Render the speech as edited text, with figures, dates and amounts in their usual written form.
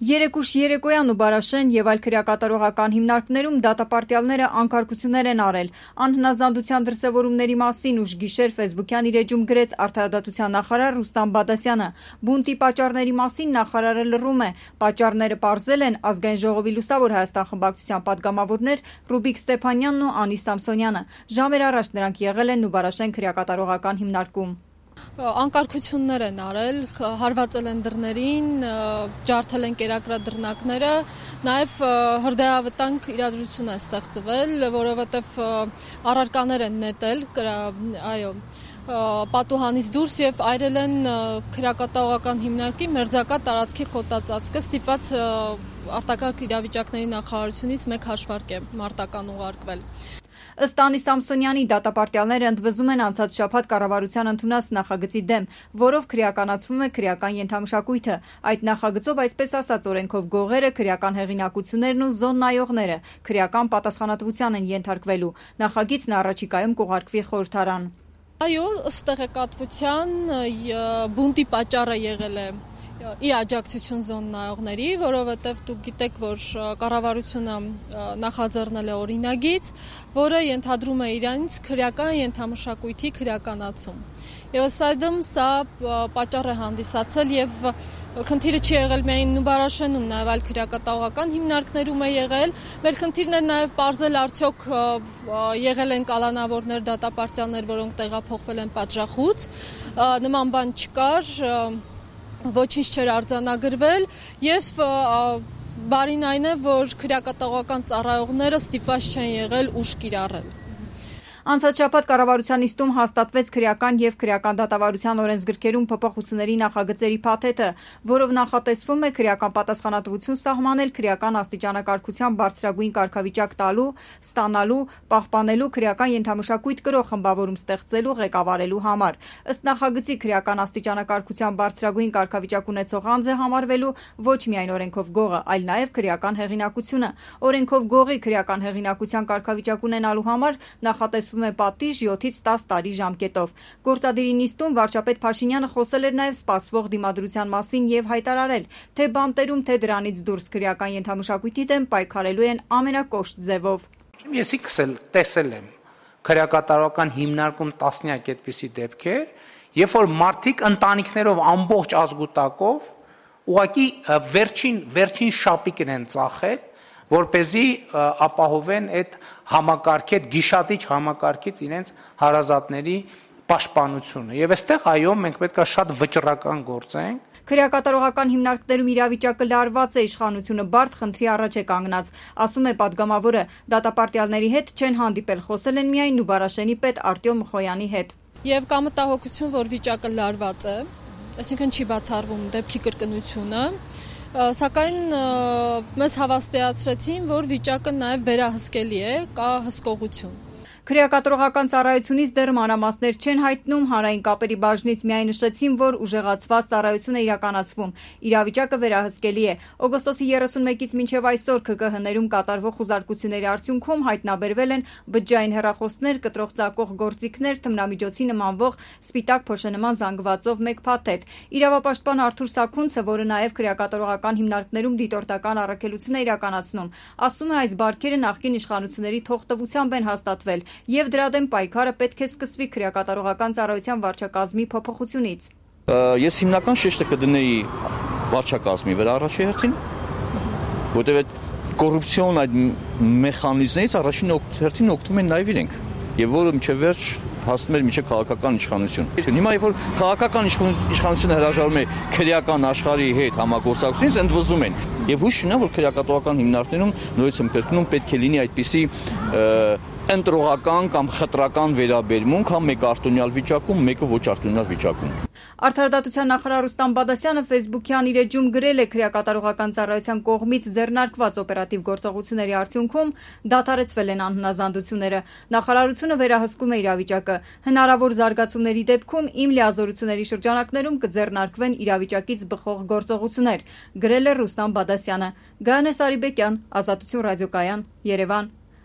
Երեկուշ երեկոյան ու Բարաշեն եւ այլ քրեակատարողական հիմնարկներում դատապարտյալները անկարգություններ են արել։ Անհնազանդության դրսևորումների մասին ուշ գիշեր ֆեյսբուքյան իր էջում գրեց Արդարադատության նախարար Ռուստամ Բադասյանը։ Բունտի պատճառների մասին նախարարը լռում է։ Պատճառները պարզել են Ազգային ժողովի Լուսավոր Հայաստան խմբակցության падգամավորներ Ռուբիկ Ստեփանյանն ու Անի Սամսոնյանը։ Ժամեր առաջ նրանք եղել են Նուբարաշեն քրեակատարողական հիմնարկում։ Անկարգություններ են արել, հարվածել են դռներին, ջարդել են կերակրադրնակները, նաև հրդեհավտանգ իրադրություն է ստեղծվել, որովհետև առարկաներ են նետել, պատուհանից դուրս եւ այրել են քրեակատարողական հիմնարկի մերձակա տարածքի խոտածածկը, ստիպված արտակարգ իրավիճակների նախարարությունից մեկ հաշվարկ է մարտական ուղարկվել։ Ըստ Անի Սամսոնյանի դատապարտյալները ընդվզում են անցած շաբաթ կառավարության ընդունած նախագծի դեմ, որով քրեականացվում է քրեական ենթամշակույթը։ Այդ նախագծով, այսպես ասած, օրենքով գողերը, քրեական հեղինակություններն ու զոն նայողները քրեական պատասխանատվության են ենթարկվելու։ Նախագիծն առաջիկայում կուղարկվի խորհրդարան։ Այո, ըստ տեղեկատվության բունտի պատճառը եղել է ի աջակցություն զոն նայողների, որովհետև դուք գիտեք, որ կառավարությունը նախաձեռնել է օրինագիծ, որը ենթադրում է իրանից քրեական ենթամշակույթի քրեականացում։ Եվ ըստ սա պատճառ է հանդիսացել եւ խնդիրը չի եղել միայն Նուբարաշենում, նաև այլ քրեակատարողական հիմնարկներում է եղել։ Մեր խնդիրն է նաև պարզել արդյոք եղել են կալանավորներ, դատապարտյալներ, որոնք տեղափոխվել են պատժախուց։ Նման բան չկար, ոչինչ չէր արձանագրվել եւ բարին այն է, որ քրեակատարողական ծառայողները ստիպված չեն եղել ուժ կիրառել։ Անցած շաբաթ կառավարության նիստում հաստատվեց քրեական եւ քրեական դատավարության օրենսգրքերում փոփոխությունների նախագծերի փաթեթը, որով նախատեսվում է քրեական պատասխանատվություն սահմանել քրեական աստիճանակարգության բարձրագույն կարգավիճակ տալու, ստանալու, պահպանելու քրեական ենթամշակույթ կրող խմբավորում ստեղծելու, ղեկավարելու համար։ Ըստ նախագծի քրեական աստիճանակարգության բարձրագույն կարգավիճակ ունեցող անձ է համարվելու ոչ միայն օրենքով գողը, այլ նաեւ քրեական հեղինակությունը։ Օրենքով գողի քրեական հեղինակության կարգավիճակ ունենալու համար նախատեսվում է պատիժ 7-ից 10 տարի ժամկետով։ Գործադիրի նիստում վարչապետ Փաշինյանը խոսել էր նաև սպասվող դիմադրության մասին եւ հայտարարել, թե բանտերում, թե դրանից դուրս քրեական ենթամշակույթի դեմ պայքարելու են ամենակոշտ ձևով։ Ես ինքս էլ տեսել եմ քրեակատարողական հիմնարկում տասնյակ այդպիսի դեպքեր, երբ որ մարդիկ ընտանիքներով ամբողջ ազգուտակով ուղղակի վերջին շապիկն են ծախել, որպեսզի ապահովեն այդ համակարգի, այդ գիշատիչ համակարգից իրենց հարազատների պաշտպանությունը։ Եվ այստեղ այո, մենք պետք է շատ վճռական գործենք։ Քրեակատարողական հիմնարկներում իրավիճակը լարված է, իշխանությունը բարդ խնդրի առաջ է կանգնած, ասում է падգամավորը։ Դատապարտյալների հետ չեն հանդիպել, խոսել են միայն Նուբարաշենի պետ Արտյոմ Մխոյանի հետ։ Եվ կա մտահոգություն, որ վիճակը լարված է, այսինքն չի բացառվում դեպքի կրկնությունը։ Սակայն մեզ հավաստիացրեցին, որ վիճակը նաև վերահսկելի է, կա հսկողություն։ Քրեակատարողական ծառայությունից դեռ մանրամասներ չեն հայտնում, հանրային կապերի բաժնից միայն նշեցին, որ ուժեղացված ծառայություն է իրականացվում։ Իրավիճակը վերահսկելի է։ Օգոստոսի 31-ից մինչև այսօր ՔԿՀ-ներում կատարվող խուզարկությունների արդյունքում հայտնաբերվել են բջջային հեռախոսներ, կտրող ծակող գործիքներ, թմրամիջոցի նմանվող սպիտակ փոշենման զանգվածով մեկ փաթեթ։ Իրավապաշտպան Արթուր Սաքունցը, որը նաև քրեակատարողական հիմնարկներում դիտորդական առաքելություն է իրականացնում, ասում է, այս բարքերը նախկին իշխանությունների թողտվությամբ են հաստատվել եւ դրա դեմ պայքարը պետք է սկսվի քրեակատարողական ծառայության վարչակազմի փոփոխությունից։ Ես հիմնական շեշտը կդնեի վարչակազմի վրա առաջի հերթին, որտեղ այդ կոռուպցիոն այդ մեխանիզմներից առաջին հերթին օգտվում են նաեւ իրենք, եւ որը մինչեւ վերջ հասնում էր մինչև քաղաքական իշխանություն։ Հիմա երբ որ քաղաքական իշխանությունը հրաժարվում է քրեական աշխարհի հետ համագործակցությունից, ընդվզում են։ Եվ հույս ունեմ, որ քրեակատարողական հիմնարկներում նորից եմ կրկնում, պետք է լինի այդպիսի ընտրողական կամ խտրական վերաբերմունք, համ մեկը արտոնյալ վիճակում, մեկը ոչ արտոնյալ վիճակում։ Արդարադատության նախարար Ռուստամ Բադասյանը ֆեյսբուքյան իր էջում գրել է քրեակատարողական ծառայության կողմից ձեռնարկված օպերատիվ գործողությունների արդյունքում դադարեցվել են անհնազանդությունները։ Նախարարությունը վերահսկում է իրավիճակը։ Հնարավոր զարգացումների դեպքում իմ լիազորությունների շրջանակներում կձեռնարկվեն իրավիճակից բխող գործողություններ, գրել է Ռուստամ Բադասյանը։ Գայանե Սարիբեկյան, Ազատություն ռադիոկայան, Երևան։